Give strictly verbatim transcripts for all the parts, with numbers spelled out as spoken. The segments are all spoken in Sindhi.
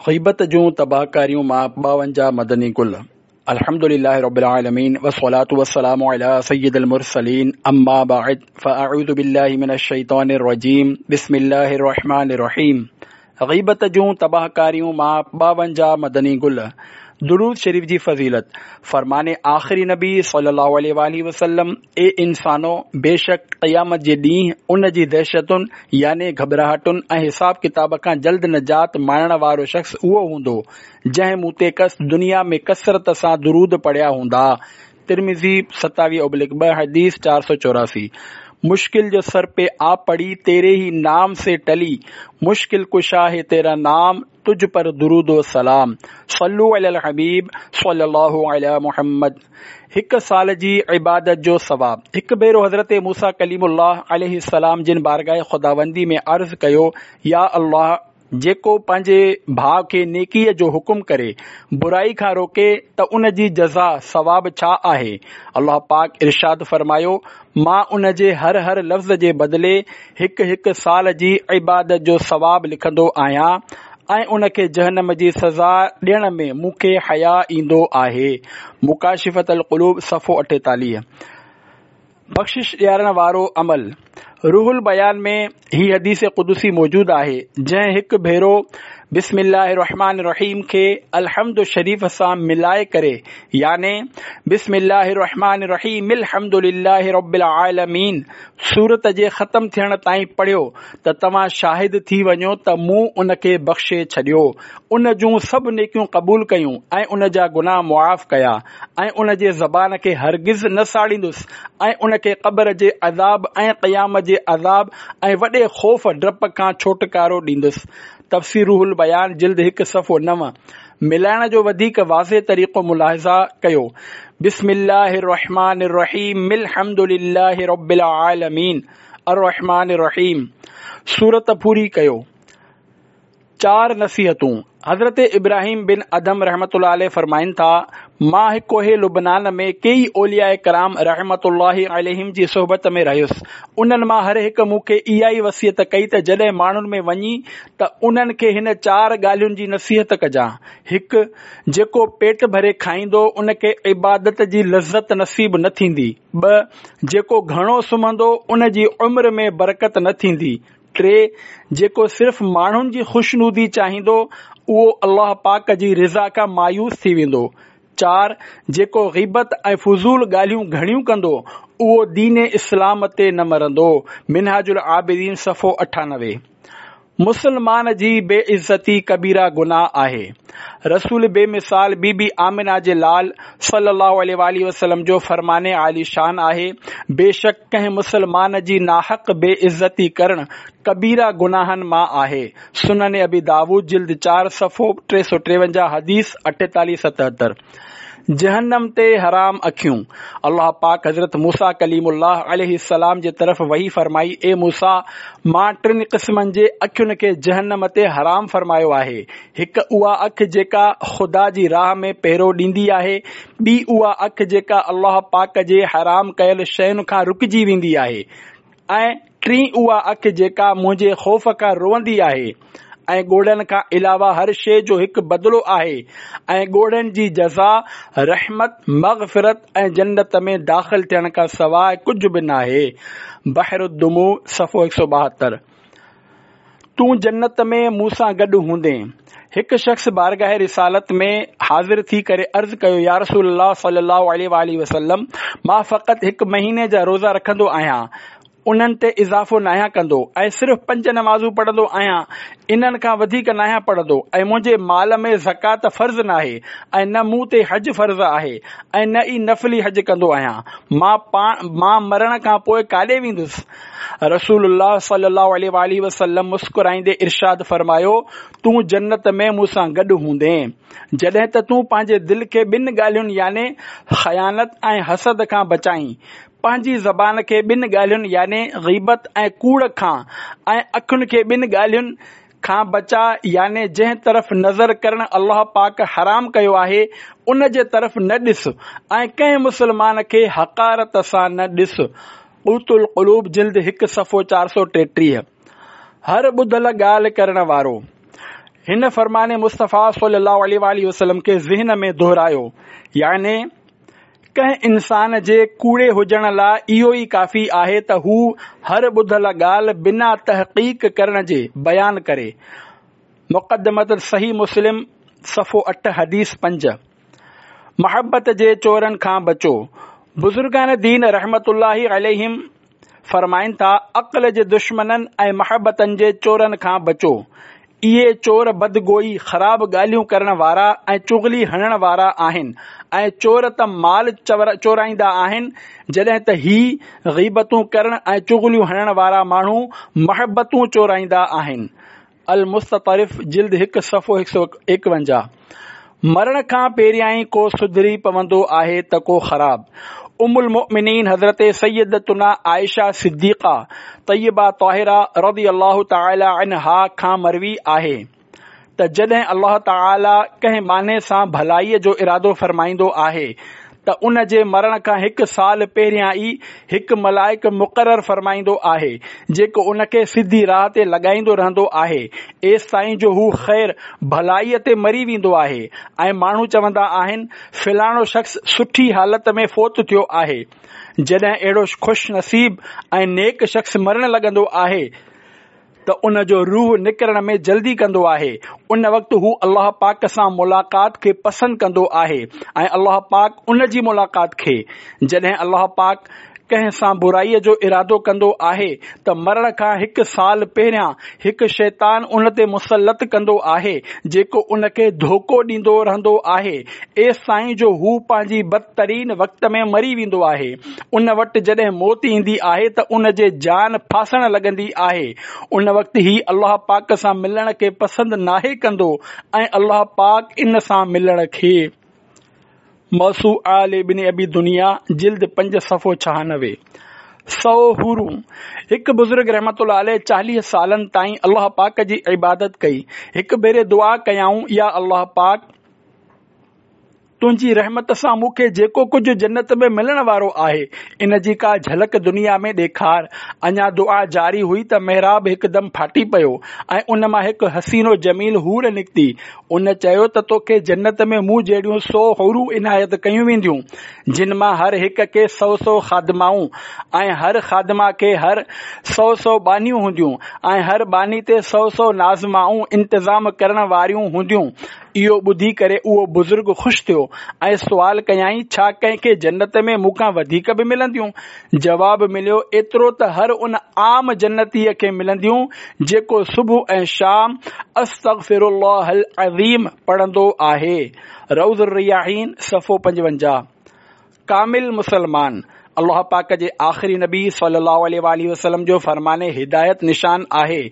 غيبت جون تباهڪاريون مان ٻاونجاهه مدني گل. الحمد لله رب العالمين والصلاة والسلام على سيد المرسلين اما بعد فاعوذ بالله من الشيطان الرجيم بسم الله الرحمن الرحيم. غيبت جون تباهڪاريون مان ٻاونجاهه مدني گل. درود شريف جي فضيلت. فرمان آخري نبي صلي الله عليه وآله وسلم، اي انسانو، بيشڪ قيامت جي ڏينهن ان جي دهشتن يعني گهٻراهٽن ۽ حساب ڪتاب کان جلد نجات ماڻڻ وارو شخص اهو هوندو جنهن مون تي ڪس دنيا ۾ ڪثرت سان درود پڙهيا هوندا. ترمذي ستاويهه ابلڪ ٻه، حديث چار سؤ چوراسي. مشڪل جو سر پي آ پڙي تيري هي نام سي ٽلي، مشڪل ڪشا هي تيرا نام، تجھ پر درود و سلام. صلو علی الحبيب صلي الله علي محمد. هڪ سال جي عبادت جو ثواب. هڪ ڀيرو حضرت موسيٰ ڪليم الله عليه السلام جن بارگاह خداوندي ۾ عرض ڪيو، يا الله، جيڪو پنهنجي ڀاء کي نيڪيء جو حڪم ڪري، برائي کان روڪي ته ان جي جزا، ثواب ڇا آهي؟ الله پاڪ ارشاد فرمايو، مان ان جي هر هر لفظ جي بدلي هڪ هڪ سال جي عبادت جو ثواب لکندو آهيان ۽ ان کي جهنم جي سزا ڏيڻ ۾ مون کي حياء ايندو آهي. مڪاشفة القلوب صفحو اٺيتاليهه. بخشش ڏيارڻ وارو عمل. روح البيان ۾ هي حديث قدسي موجود آهي، جنهن هڪ ڀيرو بسم الله الرحمن الرحيم کي الحمد شريف سان ملائي ڪري يعني بسم الله الرحمن الرحيم الحمد لله رب العالمين سورت جي ختم ٿيڻ تائين پڙهيو ته توهان شاهد ٿي وڃو ته مون ان کي بخشي ڇڏيو، ان جون سڀ نيڪيون قبول ڪيون ۽ ان جا گناهه معاف ڪيا ۽ ان جي زبان کي هرگز نه ساڙيندس ۽ ان کي قبر جي عذاب ۽ قيامت جي عذاب ۽ وڏي خوف ڊپ کان ڇوٽڪارو ڏيندس. تفسير روح البيان جلد هڪ صفحو نو. ملائڻ جو وڌيڪ واضح طريقو ملاحظه ڪيو. بسم الله الرحمن الرحيم الحمد لله رب العالمين الرحمن الرحيم سورت پوري ڪيو. چار نصيحتون. حضرت ابراهيم بن ادهم رحمة الله عليه فرمائن ٿا، مان هڪ ڪوهه لبنان ۾ ڪيئي اولياء ڪرام رحمة الله عليهم جي صحبت ۾ رهيس، انهن مان هر هڪ مون کي اها ئي وصيت ڪئي ته جڏهن ماڻهن ۾ وڃين ته انهن کي هن چار ڳالهين جي نصيحت ڪجان. هڪ، جيڪو پيٽ ڀري کائيندو ان کي عبادت جي لذت نصيب نه ٿيندي. ٻه، جيڪو گهڻو سمهندو ان جي عمر ۾ برڪت نه ٿيندي. ٽي، جيڪو صرف ماڻهن جي خوشنودي چاهيندو اهو الله پاڪ جي رضا کان مايوس ٿي ويندو. چار، جيڪو غيبت ۽ فضول ڳالهيون گهڻيون ڪندو اهو دين اسلام تي نه مرندو. منهاج العابدين صفحو اٺانوي. مسلمان جي بي عزتي ڪبيره گناهه آهي. رسول بي مثال بي بي آمنه جي لال صلي الله عليه وآله وسلم جو فرمان عالي شان آهي، بيشڪ ڪنهن مسلمان جي ناحق بي عزتي ڪرڻ ڪبيره گناهن مان آهي. سنن ابي داود جلد چار صفحو ٽي سؤ ٽيونجاهه حديث اٺيتاليهه ستهتر. جهنم تي حرام اکيون. الله پاڪ حضرت موسيٰ ڪليم الله عليه السلام جي طرف وحي فرمائي، اي موسيٰ، مان ٽن قسمن جي اکين کي جهنم تي حرام فرمايو آهي، هڪ اها اک جيڪا خدا جي راهه ۾ پهرو ڏيندي آهي، ٻي اها اک جيڪا الله پاڪ جي حرام ڪيل شين کان رڪجي ويندي آهي ۽ ٽين اها اک جيڪا منهنجي خوف کان روئندي آهي. ۽ ڳوڙهن کان علاوه هر شيء جو هڪ بدلو آهي ۽ ڳوڙهن جي جزا رحمت، مغفرت ۽ جنت ۾ داخل ٿيڻ کان سواء ڪجهه به ناهي. بحر الدموع صفحو هڪ سؤ ٻاهتر. تون جنت ۾ مون سان گڏ هوندين. هڪ شخص بارگاह رسالت ۾ حاضر ٿي ڪري عرض ڪيو، يا رسول الله صلي الله عليه وآله وسلم، مان فقط هڪ مهيني جا روزا رکندو آهيان، انهن تي اضافو ناهيان ڪندو ۽ صرف پنج نمازون پڙهندو آهيان، انهن کان وڌيڪ ناهيان پڙهندو ۽ منهنجي مال ۾ زڪوات فرض ناهي ۽ نه مون تي حج فرض آهي ۽ نه ئي نفلي حج ڪندو آهيان، مان پاڻ مان مرڻ کان پوء ڪاڏي ويندس؟ رسول الله صلي الله عليه واٰله وسلم مسڪرائيندي ارشاد فرمايو، تون جنت ۾ مون سان گڏ هوندين، جڏهن ته تون پنهنجي دل کي ٻن ڳالهين يعني خيانت ۽ حسد کان بچائين، پنهنجي زبان کي ٻن ڳالهين يعني غيبت ۽ ڪوڙ کان ۽ اکين کي ٻن ڳالهين کان بچاء يعني جنهن طرف نظر ڪرڻ الله پاڪ حرام ڪيو آهي ان جي طرف نه ڏس ۽ ڪنهن مسلمان کي حقارت سان نه ڏس. قوت القلوب جلد هڪ صفحو چار سؤ ٽيٽيهه. هر ٻڌل ڳالهه ڪرڻ وارو. هن فرمان مصطفيٰ صلي الله عليه وآله وسلم کي ذهن ۾ دهرايو، يعني ڪنهن انسان جي ڪوڙي هجڻ لاء اهو ئي ڪافي آهي ته هو هر ٻڌل ڳالهه بنا تحقيق ڪرڻ جي بيان ڪري. مقدمة صحيح مسلم صفحو اٺ حديث پنج. محبت جي چورن کان بچو. بزرگان دين رحمة الله عليهم فرمائن ٿا، عقل جي دشمنن ۽ محبتن جي چورن کان بچو. اهي چور بدگوئي، خراب ڳالهيون ڪرڻ وارا ۽ چغلي هڻڻ وارا آهن ۽ چور ته مال چورائيندا آهن، جڏهن ته هي غيبتون ڪرڻ ۽ چغليون هڻڻ وارا ماڻهو محبتون چورائيندا آهن. المستطرف جلد هڪ صفحو هڪ سؤ ايڪونجاهه. مرڻ کان پهريائين ڪو سڌري پوندو آهي ته ڪو خراب. ام المؤمنين حضرت سيدتنا عائشه صديقه طيبه طاهره رضي الله تعالي عنها کان مروي آهي ته جڏهن الله تعالي ڪنهن ٻانهي سان ڀلائيء جو ارادو فرمائيندو آهي ته ان جي مرڻ کان هڪ سال پهريان ئي هڪ ملائڪ مقرر فرمائيندو آهي جيڪو ان کي سڌي راهه تي لڳائيندو رهندو آهي ايستائين جو هو خير ڀلائيء تي مري ويندو آهي ۽ ماڻهو چوندا آهن فلاڻو شخص سٺي حالت ۾ فوت ٿيو آهي. جڏهن اهڙو خوش نصيب ۽ نيڪ شخص مرڻ لڳندو آهي ته ان جو روح نڪرڻ ۾ جلدي ڪندو آهي، ان وقت هو الله پاڪ سان ملاقات کي پسند ڪندو آهي ۽ الله پاڪ ان جي ملاقات کي. جڏهن الله پاڪ ڪنهن سان برائيء جو ارادو ڪندو آهي ته مرڻ کان هڪ سال پهريان هڪ شيطان ان تي مسلط ڪندو آهي جيڪو ان کي ڌوڪو ڏيندو رهندو آهي ايستائين جو هو پنهنجي بدترين وقت ۾ مري ويندو آهي. ان وٽ جڏهن موت ايندي آهي ته ان جي جان ڦاسڻ لڳندي آهي. ان وقت هي الله پاڪ سان ملڻ کي پسند ناهي ڪندو ۽ الله پاڪ ان سان ملڻ کي. موسوعه لابن ابي دنيا جلد پنج صفحو ڇهانوي. سؤ حورون. هڪ بزرگ رحمة الله عليه چاليهه سالن تائين الله پاڪ جي عبادت ڪئي. هڪ ڀيري دعا ڪيائون، يا الله پاڪ! تنهنجي رحمت سان مون کي جيڪو ڪجهه جنت ۾ ملڻ وارو آهي، ان جي ڪا جهلڪ دنيا ۾ ڏيکار. اڃا دعا جاري هئي ته محراب هڪدم ڦاٽي پيو ۽ ان مان هڪ حسين و جميل حور نڪتي. ان چيو ته توکي جنت ۾ مون جهڙيون سؤ حورون عنايت ڪيون وينديون، جن مان هر هڪ کي سؤ سؤ خادمائون ۽ هر خادمه کي هر سؤ سؤ ٻانهيون هونديون ۽ هر ٻانهي تي سؤ سؤ ناظمائون انتظام ڪرڻ واريون هونديون. اهو ٻڌي ڪري اهو بزرگ خوش ٿيو ۽ سوال ڪيائين، ڇا ڪنهن کي جنت ۾ مون کان وڌيڪ به ملنديون؟ جواب مليو، ايترو ته هر ان عام جنتيء کي ملنديون جيڪو صبح ۽ شام استغفر الله العظيم پڙهندو آهي. روض الرياحين صفحو پنجونجاهه. ڪامل مسلمان الله پاڪ جي آخري نبي صلي الله عليه واٰله وسلم جو فرمان هدايت نشان آهي.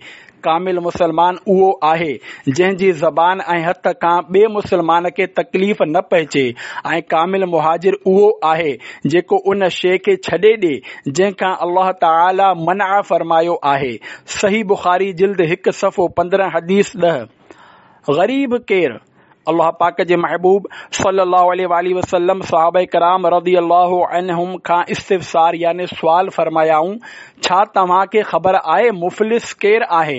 ڪامل مسلمان اهو آهي جنهن جي زبان ۽ هٿ کان ٻئي مسلمان کي تڪليف نه پهچي ۽ ڪامل مهاجر اهو آهي جيڪو ان شيء کي ڇڏي ڏي جنهن کان الله تعالي منع فرمايو آهي. صحيح بخاري جلد هڪ صفحو پندرهن حديث ڏهه. غريب ڪير؟ الله پاڪ جي محبوب صلي الله عليه واٰله وسلم صحابه ڪرام رضي الله عنهم کان استفسار يعني سوال فرمايائون، ڇا توهان کي خبر آهي مفلس ڪير آهي؟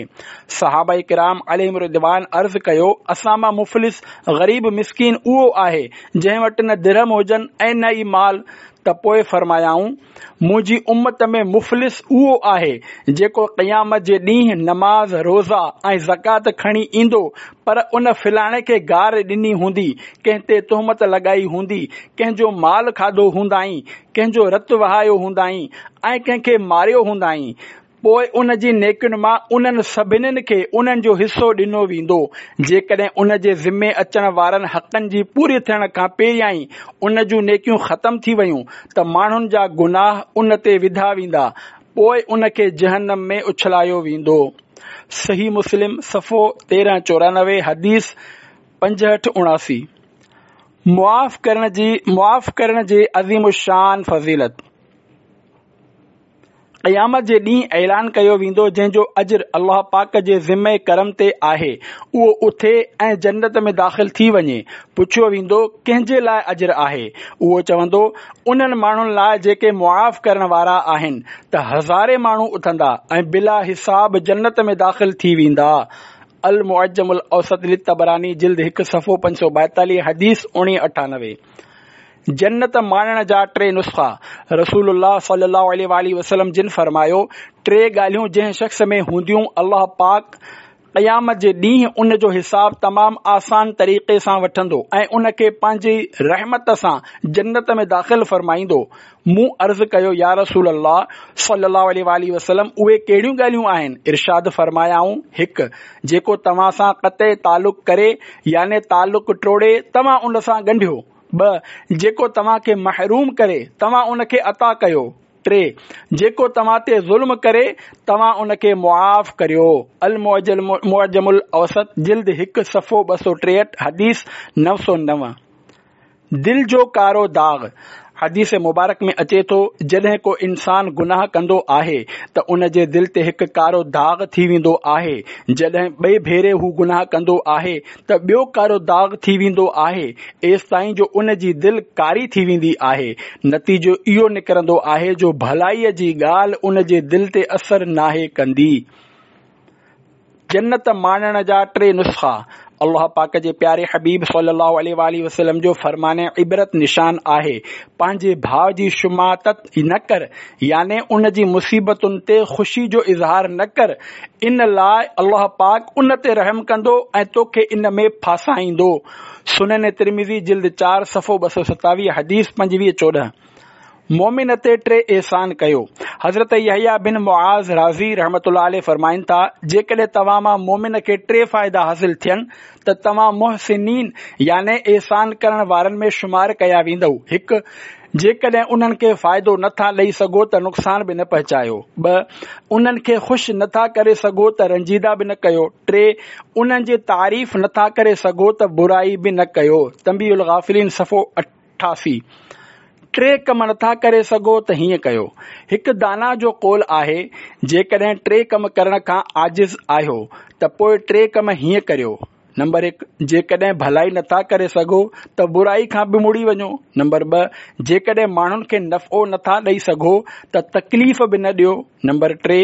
صحابه ڪرام عليهم الرضوان عرض ڪيو، اسان مان مفلس، غريب مسڪين اهو آهي جنهن وٽ نه درهم هجن ۽ نه ئي مال ته پوء فرمايائون، منهنجي امت ۾ مفلس اهو آهي جيڪو قيامت جي ڏينهن نماز، روزا ۽ زڪوات کڻي ايندو پر ان فلاڻي کي گار ڏني هوندي، ڪنهن تي تهمت لڳائي هوندي، ڪنهن جو مال کاڌو هوندائين، ڪنهن جو رت وهايو هوندائين ۽ ڪنهن کي ماريو هوندائين. پوء ان جي نيڪين مان انهن سڀنين کي انهن جو حصو ڏنو ويندو. جيڪڏهن ان جي ذمي اچڻ وارن حقن جي پوري ٿيڻ کان پهريائين ان جون نيڪيون ختم ٿي ويون ته ماڻهن جا گناهه ان تي وڌا ويندا، پوء ان کي جهنم ۾ اڇلايو ويندو. صحيح مسلم، صفحو تيرهن چورانوي، حديث پنجهٺ اڻاسي. معاف ڪرڻ جي معاف ڪرڻ جي عظيم الشان فضيلت. قيامت جي ڏينهن اعلان ڪيو ويندو جنهن جو اجر الله پاڪ جي ذمه ڪرم تي آهي اهو اٿي ۽ جنت ۾ داخل ٿي وڃي. پڇيو ويندو ڪنهن جي لاء اجر آهي؟ اهو چوندو انهن ماڻهن لاء جيڪي معاف ڪرڻ وارا آهن ته هزارين ماڻهو اٿندا ۽ بلا حساب جنت ۾ داخل ٿي ويندا. المعجم الاوسط للطبراني جلد هڪ صفحو پنج سؤ ٻائيتاليهه، حديث اڻويهه اٺانوي. جنت ماڻڻ جا ٽي نسخا. رسول الله صلي الله عليه وآله وسلم جن فرمايو، ٽي ڳالهيون جنهن شخص ۾ هونديون الله پاڪ قيامت جي ڏينهن ان جو حساب تمام آسان طريقي سان وٺندو ۽ ان کي پنهنجي رحمت سان جنت ۾ داخل فرمائيندو. مون عرض ڪيو، يا رسول الله صلي الله عليه وآله وسلم، اهي ڪهڙيون ڳالهيون آهن؟ ارشاد فرمايائون، هڪ، جيڪو توهان سان قطع تعلق ڪري يعني تعلق ٽوڙي، توهان ان سان ڳنڍيو. ٻه، جيڪو توهان کي محروم ڪري، توهان ان کي عطا ڪيو. ٽي، جيڪو توهان تي ظلم ڪري، توهان ان کي معاف ڪريو. المعجم الاوسط جلد هڪ صفحو ٻه سؤ ٽيهٺ، حديث نو سؤ نو. دل جو ڪارو داغ. حديث مبارڪ ۾ اچي ٿو، جڏهن ڪو انسان گناهه ڪندو آهي ته ان جي دل تي هڪ ڪارو داغ ٿي ويندو آهي. جڏهن ٻئي ڀيري هو گناهه ڪندو آهي ته ٻيو ڪارو داغ ٿي ويندو آهي، ايستائين جو ان جي دل ڪاري ٿي ويندي آهي. نتيجو اهو نڪرندو آهي جو ڀلائيء جي ڳالهه ان جي دل تي اثر ناهي ڪندي. جنت ماڻڻ جا ٽي نسخا. الله پاڪ جي پياري حبيب صلي الله عليه وآله وسلم جو فرمان عبرت نشان آهي، پنهنجي ڀاء جي شماتت نه ڪر، يعني ان جي مصيبتن تي خوشي جو اظهار نه ڪر، ان لاء الله پاڪ ان تي رحم ڪندو ۽ توکي ان ۾ ڦاسائيندو. سنن ترمذي جلد چار صفحو ٻه سؤ ستاويهه، حديث پنجويهه چوڏهن. مؤمن تي ٽي احسان ڪيو. حضرت يحيٰ بن معاذ رازي رحمة الله عليه فرمائن ٿا، جيڪڏهن توهان مان مؤمن کي ٽي فائدا حاصل ٿين ته توهان محسنين يعني احسان ڪرڻ وارن ۾ شمار ڪيا ويندؤ. هڪ، جيڪڏهن انهن کي فائدو نه ٿا ڏئي سگهو ته نقصان به نه پهچايو. ٻه، انهن کي خوش نه ٿا ڪري سگهو ته رنجيده به نه ڪيو. ٽي، انهن جي تعريف نه ٿا ڪري سگهو ته برائي به نه ڪيو. تنبيه الغافلين صفحو اٺاسي. ٽي ڪم نٿا ڪري سگهو ته هيئن ڪيو. هڪ دانا جو قول آهي، جيڪڏهن ٽي ڪم ڪرڻ کان عاجز آهيو ته پوء ٽي ڪم هيئن ڪريو. نمبر هڪ، جيڪڏهن ڀلائي نٿا ڪري سگهو ته برائي کان به مڙي وڃو. نمبر ٻه، جيڪڏهن ماڻهن کي نفعو نٿا ڏئي سگهو ته تڪليف به نه ڏيو. نمبر ٽي،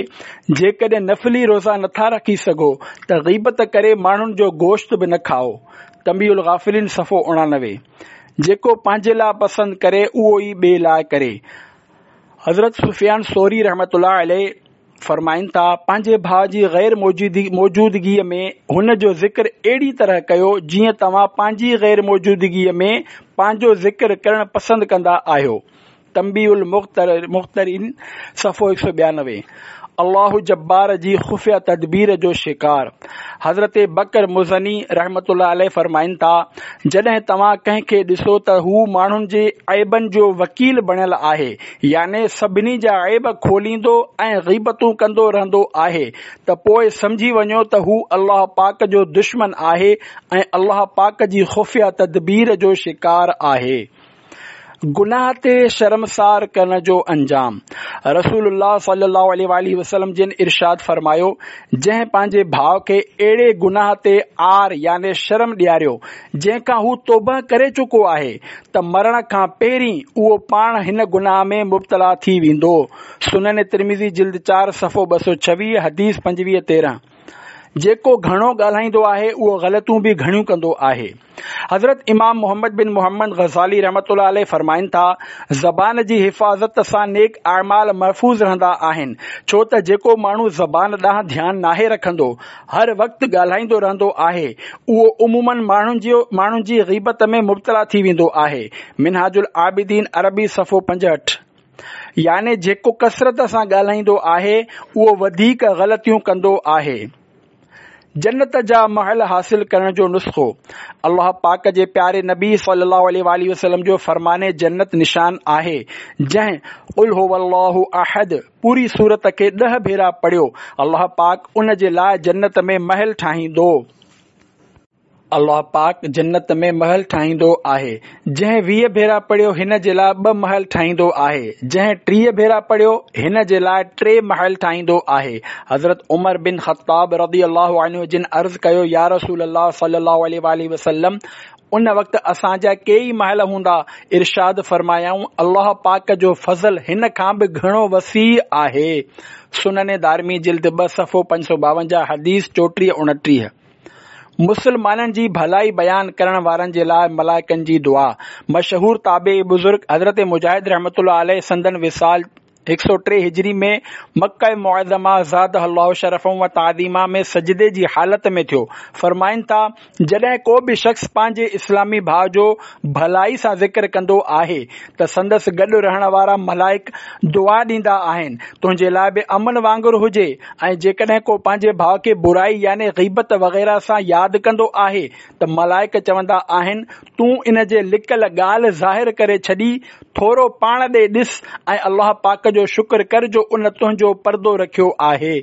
جيڪڏهن نفلي روزا نٿا رکي سگهو ته غيبت ڪري ماڻهن جو گوشت به نه کائو. تنبيه الغافلين صفحو اڻانوي. جيڪو پنهنجي لاء پسند ڪري اهو ئي ٻئي لاء ڪري. حضرت سفيان ثوري رحمة الله عليه فرمائن ٿا، پنهنجي ڀاء جي غير موجودگيء ۾ هن جو ذڪر اهڙي طرح ڪيو جيئن توهان پنهنجي غير موجودگيء ۾ پنهنجو ذڪر ڪرڻ پسند ڪندا آهيو. تنبيه المغترين صفحو هڪ سؤ ٻيانوي. الله جبار جي خفيه تدبير جو شڪار. حضرت بڪر مزني رحمة الله عليه فرمائن ٿا، جڏهن توهان ڪنهن کي ڏسو ته هو ماڻهن جي عيبن جو وڪيل بڻيل آهي، يعني سڀني جا عيب کوليندو ۽ غيبتون ڪندو رهندو آهي ته پوء سمجهي وڃو ته هو الله پاڪ جو دشمن آهي ۽ الله پاڪ جي خفيه تدبير جو شڪار آهي. گناهه تي شرمسار ڪرڻ جو انجام. رسول الله صلي الله عليه وآله وسلم جن ارشاد فرمايو، جنهن پنهنجي ڀاء کي اهڙي گناهه تي عار يعني شرم ڏياريو، جنهن کان هو توبهه ڪري چڪو آهي، ته مرڻ کان پهرين اهو پاڻ هن گناهه ۾ مبتلا ٿي ويندو. سنن ترمذي جلد چار صفحو ٻه سؤ ڇويهه، حديث پنجويهه تيرهن. جيڪو گهڻو ڳالهائيندو آهي اهو غلطيون به گهڻيون ڪندو آهي. حضرت امام محمد بن محمد غزالي رحمة الله عليه فرمائن ٿا، زبان جي حفاظت سان نيڪ اعمال محفوظ رهندا آهن، ڇو ته جيڪو ماڻهو زبان ڏانهن ڌيان ناهي رکندو، هر وقت ڳالهائيندو رهندو آهي، اهو عموماً ماڻهن جي ماڻهن جي غيبت ۾ مبتلا ٿي ويندو آهي. منهاج العابدين عربي صفحو پنجهٺ. يعني جيڪو ڪثرت سان ڳالهائيندو آهي، اهو وڌيڪ غلطيون ڪندو آهي. جنت جا محل حاصل ڪرڻ جو نسخو. الله پاڪ جي پياري نبي صلي الله عليه واٰله وسلم جو فرمان جنت نشان آهي، جنهن قل هو الله احد پوري سورت کي ڏهه ڀيرا پڙهيو، الله پاڪ ان جي لاء جنت ۾ محل ٺاهيندو. الله پاڪ جنت ۾ محل ٺاهيندو آهي. جنهن ويهه ڀيرا پڙهيو هن جي لاء ٻه محل ٺاهيندو آهي. جنهن ٽيهه ڀيرا پڙهيو هن جي لاء ٽي محل ٺاهيندو آهي. حضرت عمر بن خطاب رضي الله عنه جن عرض ڪيو يا رسول الله صلي الله عليه واٰله وسلم ان وقت اسان جا ڪيئي محل هوندا. ارشاد فرمايائون الله پاڪ جو فضل هن کان به گهڻو وسيع آهي. سنن دارمي جلد ٻه صفحو پنج سؤ ٻاونجاهه حديث چوٽيهه اڻٽيهه. مسلمانن جي ڀلائي بيان ڪرڻ وارن جي لاءِ ملائڪن جي دعا. مشهور تابعي بزرگ حضرت مجاهد رحمة الله عليه سندن وصال هڪ سؤ ٽي هجري ۾ مڪه معظمه زادها الله شرفا و تعظيما ۾ سجدي جي حالت ۾ ٿيو. فرمائن ٿا، جڏهن ڪو به شخص پنهنجي اسلامي ڀاءُ جو ڀلائي سان ذڪر ڪندو آهي ته سندس گڏ رهڻ وارا ملائڪ دعا ڏيندا آهن، تنهنجي لاءِ به امن وانگر هجي. ۽ جيڪڏهن ڪو پنهنجي ڀاءُ کي برائي يعني غيبت وغيره سان ياد ڪندو آهي ته ملائڪ چوندا آهن، تون ان جي لڪل ڳالهه ظاهر ڪري ڇڏي، ٿورو پاڻ ڏي ڏس ۽ الله پاڪ جو شڪر ڪر جو ان تنهنجو پردو رکيو آهي.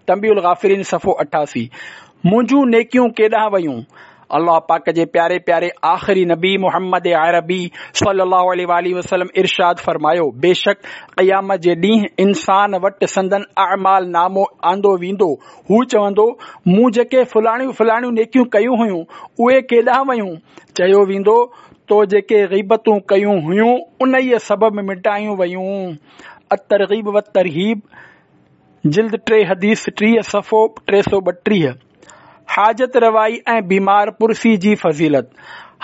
تنبيه الغافلين صفحو اٺاسي. منهنجون نيڪيون ڪيڏانهن ويون؟ الله پاڪ جي پياري پياري آخري نبي محمد عربي صلي الله عليه وآله وسلم ارشاد فرمايو، بيشڪ قيامت جي ڏينهن انسان وٽ سندن اعمال نامو آندو ويندو، هو چوندو، مون جيڪي فلاڻيون فلاڻيون نيڪيون ڪيون هيون اهي ڪيڏانهن ويون؟ چيو ويندو، تو جيڪي غيبتون ڪيون هيون انهيءَ سبب مٽايون ويون. الترغيب والترهيب جلد ٽي حديث ٽيهه صفحو ٽي سؤ ٻٽيهه. حاجت روائي ۽ بيمار پرسي جي فضيلت.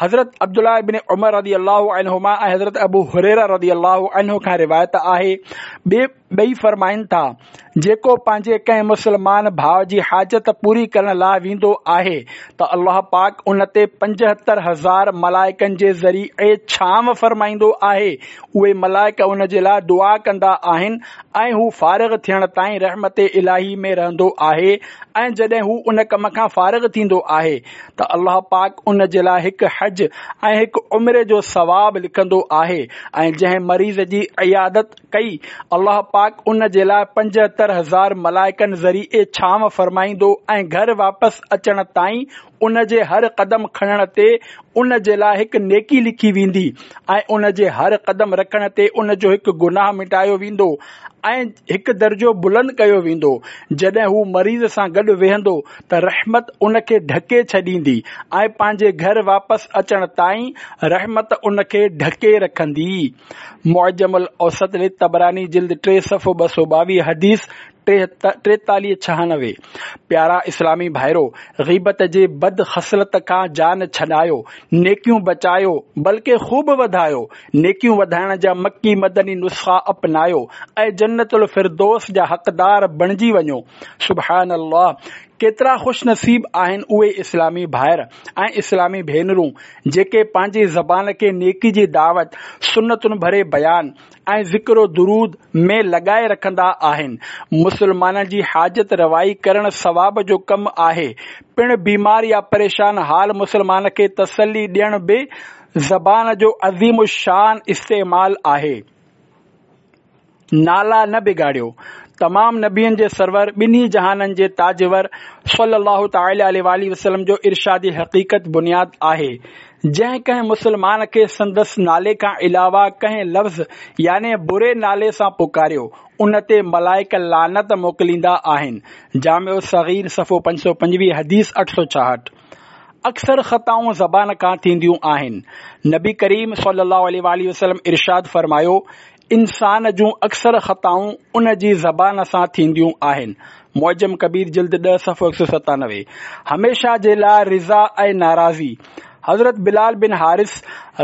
حضرت عبدالله بن عمر رضي الله عنهما ۽ حضرت ابو هريره رضي الله عنه کان روايت آهي، ٻئي فرمائن ٿا، جيڪو پنهنجي ڪنهن مسلمان ڀاءُ جي حاجت پوري ڪرڻ لاءِ ويندو آهي ته الله پاڪ ان تي پنجهتر هزار ملائڪن جي ذريعي ڇانو فرمائيندو آهي. اهي ملائڪ ان جي لاءِ دعا ڪندا آهن ۽ هو فارغ ٿيڻ تائين رحمت الاهي ۾ رهندو آهي. ۽ جڏهن هو ان ڪم کان فارغ ٿيندو آهي ته الله پاڪ ان جي لاءِ هڪ حج ۽ هڪ عمري جو ثواب لکندو آهي. ۽ جنهن مريض جي عيادت ڪئي الله پاڪ ان جي لاءِ پنجهتر هزار ملائڪن ذريعي ڇانو فرمائيندو ۽ گهر واپس اچڻ تائين ان جي هر قدم کڻڻ تي ان جي لاءِ هڪ نيڪي لکي ويندي ۽ ان جي هر قدم رکڻ تي ان جو هڪ گناهه مٽايو ويندو ۽ هڪ درجو بلند ڪيو ويندو. جڏهن هو مريض سان گڏ ويهندو ته رحمت ان کي ڍڪي ڇڏيندي ۽ پنهنجي گهر واپس اچڻ تائين رحمت ان کي ڍڪي رکندي. معجم الاوسط للطبراني جلد ٽي صفحو ٻه سؤ ٻاويهه حديث ٽيتاليهه ڇهانوي. پيارا اسلامي ڀائرو، غيبت جي بد خصلت کان جان ڇڏايو، نيڪيون بچايو بلڪه خوب وڌايو. نيڪيون وڌائڻ جا مڪي مدني نسخا اپنايو ۽ جنت الفردوس جا حقدار بڻجي وڃو. سبحان الله، ڪيترا خوش نصيب آهن اهي اسلامي ڀائر ۽ اسلامي ڀينرون جيڪي پنهنجي زبان کي نيڪي جي دعوت، سنتن ڀري بيان ۽ ذڪر و درود ۾ لڳائي رکندا آهن. مسلمانن جي حاجت روائي ڪرڻ ثواب جو ڪم آهي. پڻ بيمار يا پريشان حال مسلمان کي تسلي ڏيڻ به زبان جو عظيم الشان استعمال آهي. نالا نه بگاڙيو. تمام نبين جي سرور ٻنهي جهانن جي تاجور صلي الله تعالي عليه وآله وسلم جو ارشادي حقيقت بنياد آهي. جنهن ڪنهن مسلمان کي سندس نالي کان علاوه ڪنهن لفظ يعني بري نالي سان پڪاريو ان تي ملائڪ لعنت موڪليندا آهن. جامع الصغير صفحو پنج سؤ پنجويهه حديث اٺ سؤ ڇاهٺ. اڪثر خطائون زبان کان ٿينديون آهن. نبي ڪريم صلي الله عليه وآله وسلم ارشاد فرمايو، انسان جون اڪثر خطائون ان جي زبان سان ٿينديون آهن. معجم ڪبير جلد ڏهه صفحو هڪ سؤ ستانوي. هميشه جي لاءِ رضا ۽ ناراضي. حضرت بلال بن حارث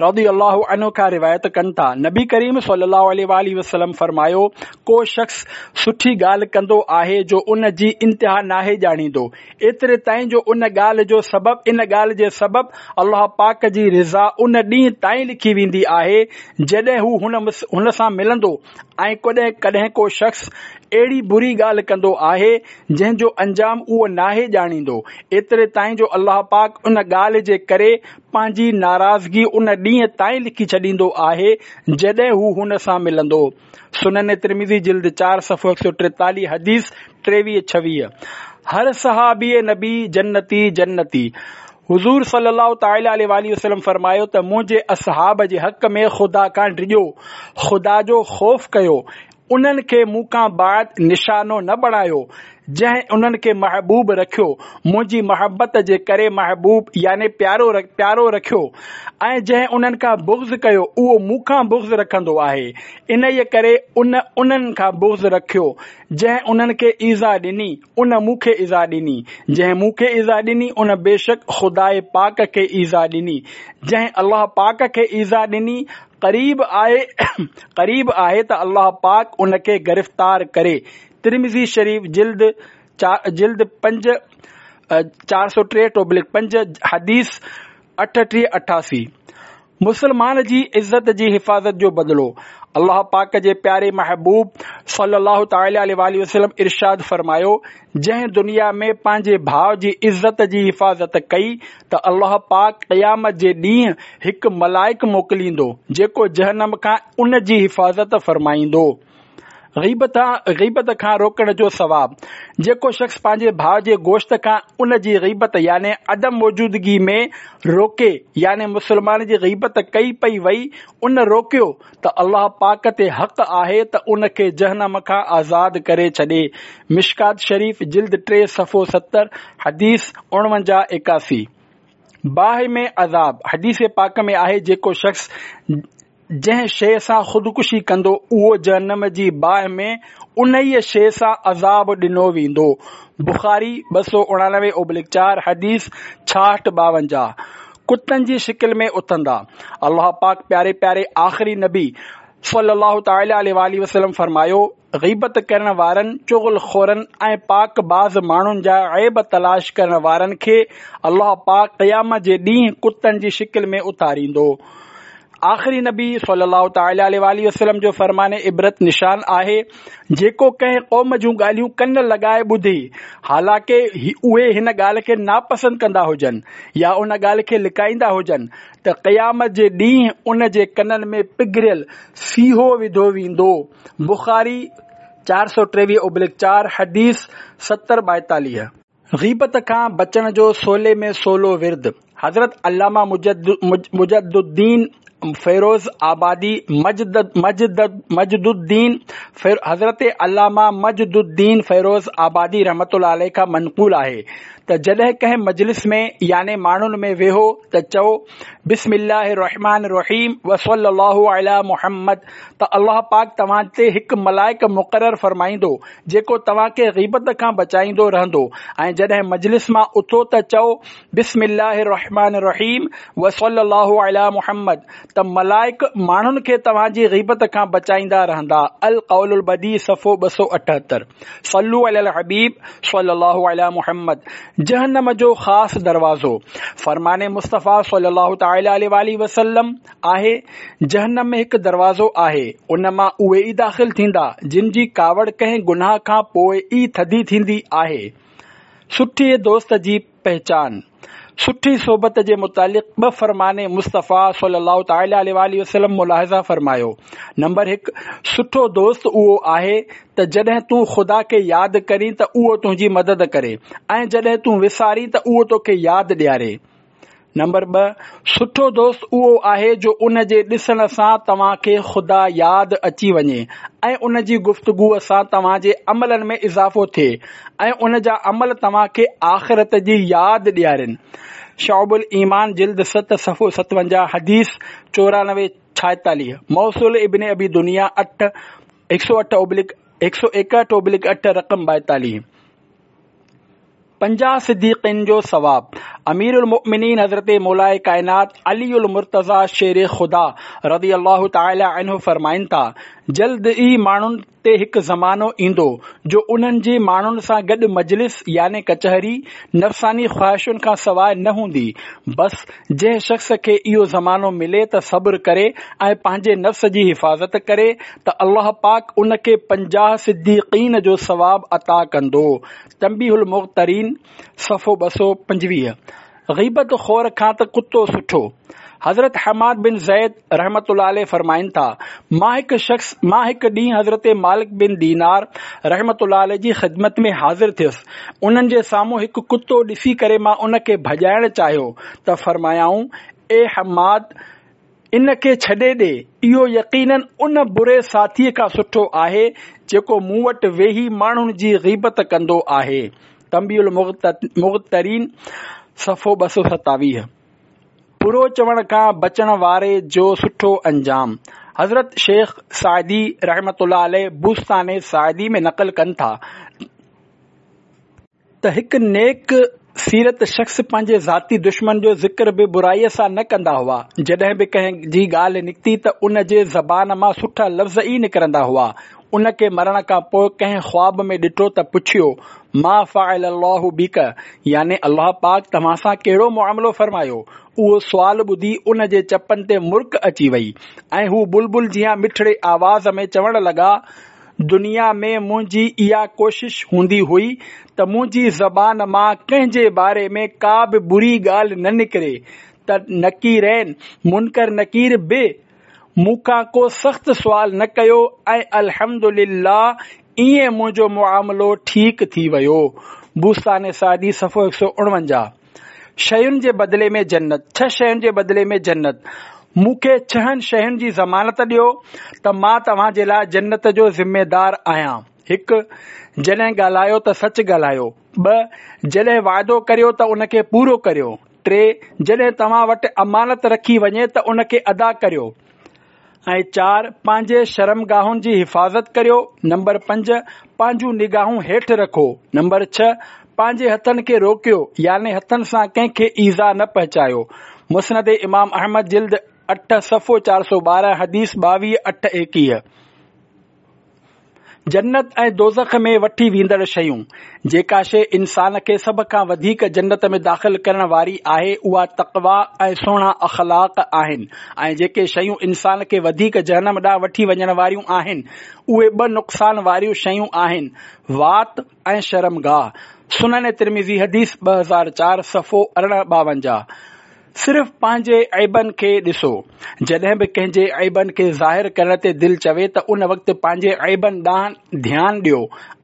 رضي الله عنه کان روايت ڪن ٿا، نبي ڪريم صلي الله عليه وآله وسلم فرمايو، ڪو شخص سٺي ڳالهه ڪندو آهي جو ان جي انتها ناهي ڄاڻيندو، ايتري تائين جو ان ڳالهه جو سبب ان ڳالهه جي سبب الله پاڪ جي رضا ان ڏينهن تائين لکي ويندي آهي جڏهن هو هن هن سان ملندو. ۽ ڪڏهن ڪڏهن ڪو شخص اهڙي بري ڳالهه ڪندو آهي جنهن جو انجام اهو ناهي ڄاڻيندو، ايتري تائين جو الله پاڪ ان ڳالهه جي ڪري پنهنجي ناراضگي ان ڏينهن تائين لکي ڇڏيندو آهي جڏهن هو هن سان ملندو. سنن ترمذي جلد چار صفحو هڪ سؤ ٽيتاليهه حديث ٽيويهه ڇويهه. هر صحابي نبي جنتي جنتي. حضور صلي الله تعالي عليه وآله وسلم فرمايو ته منهنجي اصحاب جي حق ۾ خدا کان ڊڄو، خدا جو خوف ڪيو، انهن کي مون کان بعد نشانو نه بڻايو. جنهن انهن کي محبوب رکيو منهنجي محبت جي ڪري محبوب يعني پيارو پيارو رکيو ۽ جنهن انهن کان بغض ڪيو اهو مون کان بغض رکندو آهي، انهيء ڪري ان انهن کان بغض رکيو. جنهن انهن کي ايذاء ڏني ان مون کي ايذاء ڏني، جنهن مون کي ايذاء ڏني ان بيشڪ خداء پاڪ کي ايذاء ڏني، جنهن الله پاڪ کي ايذاء ڏني قريب آهي قريب آهي ته الله پاڪ ان کي گرفتار ڪري. ترمذي شريف جلد جلد پنج چار سؤ ٽيهٺ اوبلڪ پنج حديث اٺٽيهه اٺاسي. مسلمان جي عزت جي حفاظت جو بدلو. الله پاڪ جي پياري محبوب صلي الله تعالٰي عليه واٰله وسلم ارشاد فرمايو، جنهن دنيا ۾ پنهنجي ڀاء جي عزت جي حفاظت ڪئي ته الله پاڪ قيامت جي ڏينهن هڪ ملائڪ موڪليندو جيڪو جهنم کان ان جي حفاظت فرمائيندو. غيبت غيبت کان روڪڻ جو ثواب. جيڪو شخص پنهنجي ڀاء جي گوشت کان ان جي غيبت يعني عدم موجودگي ۾ روڪي يعني مسلمان جي غيبت ڪئي پئي وئي ان روڪيو ته الله پاڪ تي حق آهي ته ان کي جهنم کان آزاد ڪري ڇڏي. مشڪات شريف جلد ٽي صفحو ستر حديث اڻونجاهه ايڪاسي. باهه ۾ عذاب. حديث پاڪ ۾ آهي جيڪو شخص جنهن شيء سان خودڪشي ڪندو اهو جهنم جي باهه ۾ انهيء شيء سان عذاب ڏنو ويندو. بخاري ٻه سؤ اڻانوي اوبلڪ چار حديث ڇاهٺ ٻاونجاهه. ڪتن جي شڪل ۾ اٿندا. الله پاڪ پياري پياري آخري نبي صلي الله تعالٰي عليه واٰله وسلم فرمايو، غيبت ڪرڻ وارن، چغل خورن ۽ پاڪ باز ماڻهن جا عيب تلاش ڪرڻ وارن کي الله پاڪ قيامت جي ڏينهن ڪتن جي شڪل ۾ اٿاريندو. آخري نبي صلي الله تعالٰي عليه واٰله وسلم جو فرمان عبرت نشان آهي، جيڪو ڪنهن قوم جون ڳالهيون ڪن لڳائي ٻڌي، حالانڪه اهي هن ڳالهه کي ناپسند ڪندا هجن يا ان ڳالهه کي لڪائيندا هجن ته قيامت جي ڏينهن ان جي ڪنن ۾ پگهريل سيهو وڌو ويندو. بخاري چار سؤ ٽيويهه اوبلڪ چار حديث ستر ٻائيتاليهه. غيبت کان بچڻ جو سولي ۾ سولو ورد. حضرت علامه مجد الدين فيروز آبادي مجد مجد مجد الدين حضرت علامه مجد الدين فيروز آبادي رحمة الله عليه کان منقول آهي ته جڏهن ڪنهن مجلس ۾ يعني ماڻهن ۾ ويهو ته چئو بسم الله الرحمٰن الرحيم وصلي الله علي محمد ته الله پاڪ توهان تي هڪ ملائڪ مقرر فرمائيندو جيڪو توهان کي غيبت کان بچائيندو رهندو ۽ جڏهن مجلس مان اٿو ته چئو بسم الله الرحمٰن الرحيم وصلي الله علي محمد ته ملائڪ ماڻهن کي توهان جي غيبت کان بچائيندا رهندا. القول البديع صفحو ٻه سؤ اٺهتر. صلو علي الحبيب صلي الله علي محمد. جهنم جو خاص دروازو. فرمان مصطفيٰ صلي الله تعالٰي عليه واٰله وسلم آهي، جهنم ۾ هڪ دروازو آهي، ان مان اهي ئي داخل ٿيندا، جن جي ڪاوڙ ڪنهن گناهه کان پوء ئي ٿڌي ٿيندي آهي. سٺي دوست جي پهچان. سٺي صحبت جي متعلق ٻه فرمان مصطفيٰ صلي الله تعالٰي عليه واٰله وسلم ملاحظه فرمايو. نمبر هڪ، سٺو دوست اهو آهي ته جڏهن تون خدا کي ياد ڪرين ته اهو تنهنجي مدد ڪري ۽ جڏهن تون وسارين ته اهو توکي ياد ڏياري. نمبر ٻه، سٺو دوست اهو آهي جو ان جي ڏسڻ سان توهان کي خدا ياد اچي وڃي ۽ ان جي گفتگوء سان توهان جي عملن ۾ اضافو ٿئي ۽ ان جا عمل توهان کي آخرت جي ياد ڏيارين. شعب الايمان جلد ست صفحو ستونجاهه حديث چورانوي ڇائيتاليهه، موصول ابن ابي دنيا اٺ هڪ سؤ اٺ اوبلڪ هڪ سؤ ايڪهٺ اوبلڪ اٺ رقم ٻائيتاليهه. پنجاهه صديقين جو ثواب. امير المؤمنين حضرت مولائي ڪائنات علي المرتضيٰ شير خدا رضي الله تعالٰي عنه فرمائن ٿا، جلد ئي ماڻهن تي هڪ زمانو ايندو جو انهن جي ماڻهن سان گڏ مجلس يعني ڪچهري نفساني خواهشن کان سواء نه هوندي، بس جنهن شخص کي اهو زمانو ملي ته صبر ڪري ۽ پنهنجي نفس جي حفاظت ڪري ته الله پاڪ ان کي پنجاهه صديقين جو ثواب عطا ڪندو. تنبيه المغترين صفحو ٻه سؤ پنجويهه. غيبت خور کان ته ڪتو سٺو. حضرت حماد بن زيد رحمة الله عليه فرمائن ٿا، مان هڪ شخص مان هڪ ڏينهن حضرت مالڪ بن دينار رحمة الله عليه جي خدمت ۾ حاضر ٿيس، انهن جي سامهون هڪ ڪتو ڏسي ڪري مان ان کي ڀڄائڻ چاهيو ته فرمايائون، اي حماد! ان کي ڇڏي ڏي، اهو يقينن ان بري ساٿيء کان سٺو آهي جيڪو مون وٽ ويهي ماڻهن جي غيبت ڪندو آهي. تنبيه المغترين صفحو ٻه سؤ ستاويهه. برو چوڻ کان بچڻ واري جو سٺو انجام. حضرت شيخ سعدي رحمة الله عليه بوستان سعدي ۾ نقل ڪن ٿا ته هڪ نيڪ سيرت شخص پنهنجي ذاتي دشمن جو ذڪر به برائيء سان نه ڪندا هئا. جڏهن به ڪنهن جي ڳالهه نڪتي ته ان جي زبان مان سٺا لفظ ئي نڪرندا هئا. ان کي مرڻ کان پوء ڪنهن خواب ۾ ڏٺو ته پڇيو، ما فعل الله بڪ، يعني الله پاڪ توهان سان ڪهڙو معاملو فرمايو؟ اهو سوال ٻڌي ان جي چپن تي مرڪ اچي وئي ۽ هو بلبل جيان مٺڙي آواز ۾ چوڻ لڳا، دنيا ۾ منهنجي اها ڪوشش هوندي هئي ته منهنجي زبان مان ڪنهن جي باري ۾ ڪا به بري ڳالهه نه نڪري ته نڪيرين، منڪر نڪير، به مون کان ڪو سخت سوال نه ڪيو ۽ الحمدلله ائين منهنجو معاملو ٺيڪ ٿي ويو. بوستان سعدي صفحو هڪ سؤ اڻونجاهه. شين جي بدلي ۾ جنت. ڇهه شين جي بدلي ۾ جنت. مون کي ڇهن شين جي ضمانت ڏيو ته مان توهان جي لاء جنت جو ذميدار آهيان. هڪ. جڏهن ڳالهايو ته سچ ڳالهايو. ٻه. جڏهن وعدو ڪريو ته ان کي پورو ڪريو. ٽي. جڏهن توهان وٽ امانت رکي وڃي ته ان کي ادا ڪريو. ۽ چار. پنهنجي شرمگاهن جي حفاظت ڪريو. نمبر پنج. پنهنجون نگاهون هيٺ رکو. نمبر ڇهه. پنهنجي هٿن کي روڪيو، يعني هٿن سان ڪنهن کي ايذاء نه پهچايو. مسند امام احمد جلد اٺ صفحو چار سؤ ٻارهن حديث ٻاويهه اٺ ايڪيهه. جنت ۽ دوزخ ۾ وٺي ويندڙ شيون. جيڪا شيء انسان کي سڀ کان وڌيڪ جنت ۾ داخل ڪرڻ واري آهي اها تقويٰ ۽ سهڻا اخلاق آهن ۽ جيڪي شيون انسان کي وڌيڪ جهنم ڏانهن وٺي وڃڻ واريون آهن اهي ٻه نقصان واريون شيون آهن، وات ۽ شرمگاهه. سنن ترمذي حديث ٻه هزار چار صفحو ارڙهن ٻاونجاهه. صرف پنهنجي عيبن کي ڏسو. جڏهن به ڪنهن جي عيبن کي ظاهر ڪرڻ تي دل چوي ته ان وقت پنهنجي عيبن ڏانهن ڌيان ڏيو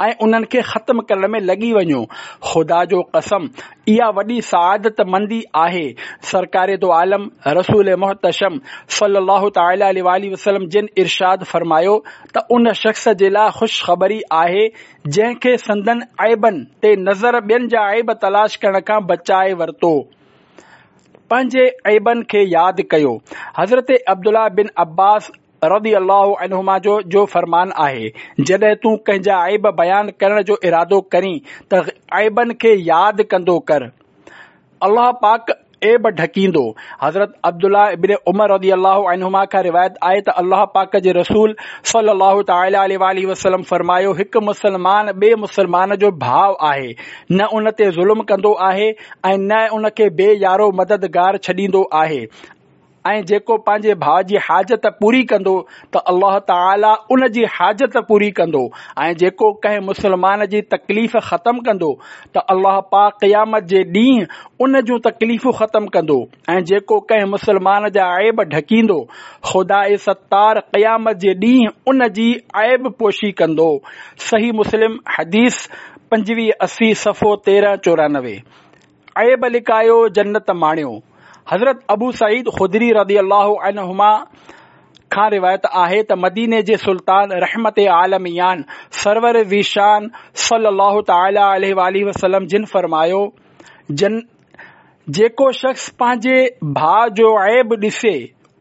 ۽ انهن کي ختم ڪرڻ ۾ لڳي وڃو. خدا جو قسم اها وڏي سعادت مندي آهي. سرڪار دو عالم رسول محتشم صلي الله تعالٰي عليه واٰله وسلم جن ارشاد فرمايو ته ان شخص جي لاء خوشخبري آهي جنهن کي سندن عيبن تي نظر ٻين جا عيب تلاش ڪرڻ کان بچائي ورتو. پنهنجي عيبن کي ياد ڪيو. حضرت عبدالله بن عباس رضي الله عنهما جو جو فرمان آهي، جڏهن تون ڪنهن جا عيب بيان ڪرڻ جو ارادو ڪرين ته عيبن کي ياد ڪندو ڪر. الله پاڪ عيب ڍڪيندو. حضرت عبدالله ابن عمر رضي الله عنهما کان روايت آهي ته الله پاڪ جي رسول صلي الله تعالٰي عليه واٰله وسلم فرمايو، هڪ مسلمان ٻئي مسلمان جو ڀاء آهي، نه ان تي ظلم ڪندو آهي ۽ نه ان کي بي يارو مددگار ڇڏيندو آهي ۽ جيڪو پنهنجي ڀاء جي حاجت پوري ڪندو ته الله تعاليٰ ان جي حاجت پوري ڪندو ۽ جيڪو ڪنهن مسلمان جي تڪليف ختم ڪندو ته الله پاڪ قيامت جي ڏينهن ان جون تڪليفون ختم ڪندو ۽ جيڪو ڪنهن مسلمان جا عيب ڍڪيندو خداء ستار قيامت جي ڏينهن ان جي عيب پوشي ڪندو. صحيح مسلم حديث پنجويهه اسي صفحو تيرهن چورانوي. عيب لڪايو جنت ماڻيو. حضرت ابو سعيد خدري رضي الله عنهما کان روايت آهي ته مديني جي سلطان رحمت عالميان سرور ذيشان صلي الله تعالٰي عليه واٰله وسلم جن فرمايو، جن جيڪو شخص پنهنجي ڀاء جو عيب ڏسي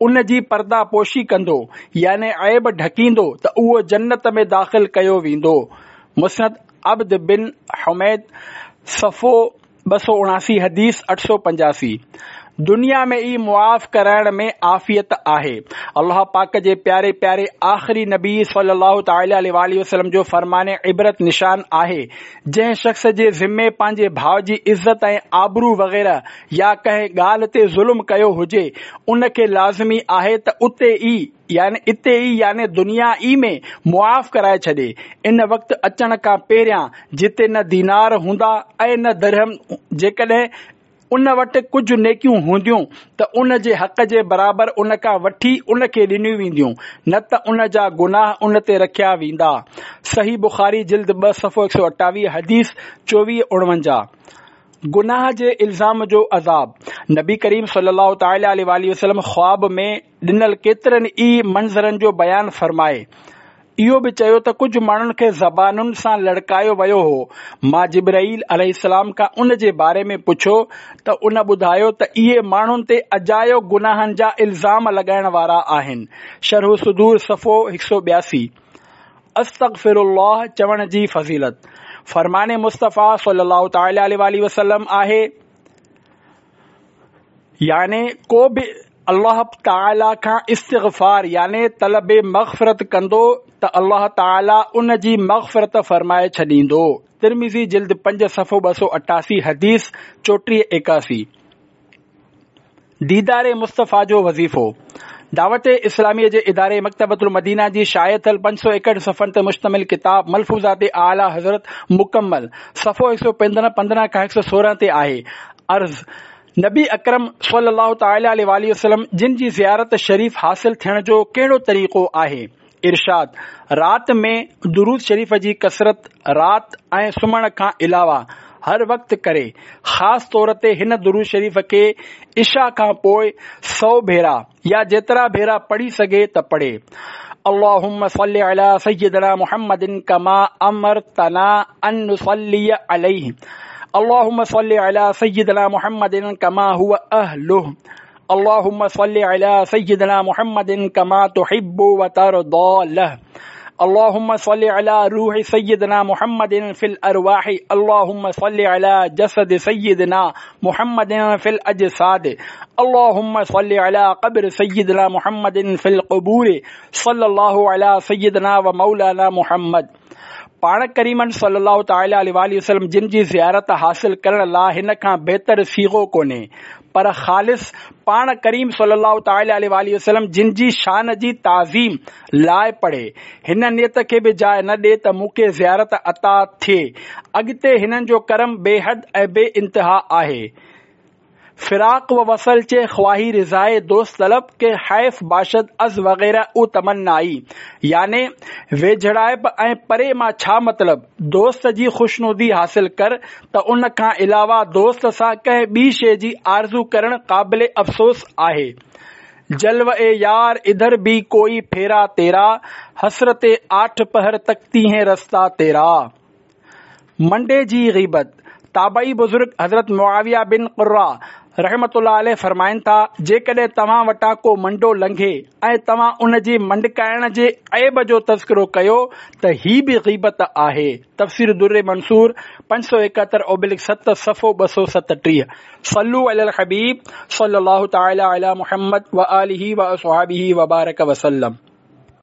ان جي پرده پوشي ڪندو يعني عيب ڍڪيندو ته اهو جنت ۾ داخل ڪيو ويندو. مسند عبد بن حميد صفحو ٻه سؤ اڻاسي حديث اٺ سؤ پنجاسي. دنيا ۾ ئي معاف ڪرائڻ ۾ عافيت آهي. الله پاڪ جي پياري پياري آخري نبي صلي الله تعالٰي عليه واٰله وسلم جو فرمان عبرت نشان آهي، جنهن شخص جي ذمي پنهنجي ڀاء جي عزت ۽ آبرو وغيره يا ڪنهن ڳالهه تي ظلم ڪيو هجي ان کي لازمي آهي ته اتي ئي يعني اتي ئي يعني دنيا ئي ۾ معاف ڪرائي ڇڏي، ان وقت اچڻ کان پهريان جتي نه دينار هوندا ۽ نه درهم، جيڪڏهن ان وٽ ڪجهه نيڪيون هونديون ته ان جي حق جي برابر ان کان وٺي ان کي ڏنيون وينديون، نه ته ان جا گناهه ان تي رکيا ويندا. صحيح بخاري جلد ٻه صفحو هڪ سؤ اٺاويهه حديث چوويهه اڻونجاهه. گناهه جي الزام جو عذاب. نبي ڪريم صلي الله تعالٰي عليه واٰله وسلم خواب ۾ ڏنل ڪيترن ئي منظرن جو بيان فرمائي اهو به چيو ته ڪجهه ماڻهن کي زبانن سان لڙڪايو ويو هو. مان جبرائيل عليه السلام کان ان جي باري ۾ پڇيو ته ان ٻڌايو ته اهي ماڻهن تي اجايو گناهن جا الزام لڳائڻ وارا آهن. شرح صدور صفحو هڪ سؤ ٻياسي. استغفر الله چوڻ جي فضيلت. فرمان مصطفيٰ صلي الله تعالٰي عليه واٰله وسلم آهي، يعني ڪو به الله تعاليٰ کان استغفار يعني طلب مغفرت ڪندو ته الله تعاليٰ ان جي مغفرت فرمائي ڇڏيندو. ترمذي جلد پنج صفحو ٻه سؤ اٺاسي حديث چوٽيهه ايڪاسي. ديدار مصطفيٰ جو وظيفو. دعوت اسلاميء جي اداري مڪتبة المدينه جي شايع ٿيل پنج سؤ ايڪهٺ صفحن تي مشتمل ڪتاب ملفوظات اعليٰ حضرت مڪمل صفحو هڪ سؤ پندرهن پندرهن کان هڪ سؤ سورهن تي آهي. عرض، نبي اڪرم صلي الله تعالٰي عليه واٰله وسلم جن جي زيارت شريف حاصل ٿيڻ جو ڪهڙو طريقو آهي؟ ارشاد، رات ۾ درود شريف جي ڪثرت رات ۽ سمهڻ کان علاوه هر وقت ڪري، خاص طور تي هن درود شريف کي عشاء کان پوء سؤ ڀيرا يا جيترا ڀيرا پڙهي سگهي ته پڙهي. اللهم صل علي سيدنا محمد ڪما امرتنا ان نصلي عليه اللهم صل علي سيدنا محمد ڪما هو اهله اللهم صل علي سيدنا محمد ڪما تحب وترضى له اللهم صل علي روح سيدنا محمد في الارواح اللهم صل علي جسد سيدنا محمد في الاجساد اللهم صل علي قبر سيدنا محمد في القبور صلي الله علي سيدنا ومولانا محمد. پاڻ ڪريمن صلي الله تعالٰي عليه واٰله وسلم جن جي زيارت حاصل ڪرڻ لاء هن کان بهتر صيغو ڪونهي، پر خالص پاڻ ڪريم صلي الله تعالٰي عليه واٰله وسلم جن جي شان جي تعظيم لاء پڙهي. هن نيت کي به جاء نه ڏي ته مون کي زيارت عطا ٿئي. اڳتي هنن جو ڪرم بي حد ۽ بي انتها آهي. فراق و وصل چه خواهي رضائي دوست طلب ڪه حيف باشد از وغيره او تمنائي يعني ويجهڙائپ ۽ پري مان ڇا مطلب، دوست جي خوشنودي حاصل ڪر ته ان کان علاوه دوست سان ڪنهن ٻي شيء جي آرزو ڪرڻ قابل افسوس آهي. جلوه يار ادھر ڀي ڪوئي ڦيرا تيرا، حسرت آٺ پهر تڪتي هين رستا تيرا. منڊي جي غيبت. تابعي بزرگ حضرت معاويه بن قره رحمة الله عليه فرمائن ٿا، جيڪڏهن توهان وٽان ڪو منڊو لنگهي ۽ توهان ان جي منڊڪائڻ جي عيب جو تذڪرو ڪيو ته هي به غيبت آهي. تفسير در منثور پنج سؤ ايڪهتر اوبلڪ ست صفحو ٻه سؤ ستٽيهه. صلو علي الحبيب صلي الله تعالي علي محمد وآله واصحابه وبارڪ وسلم.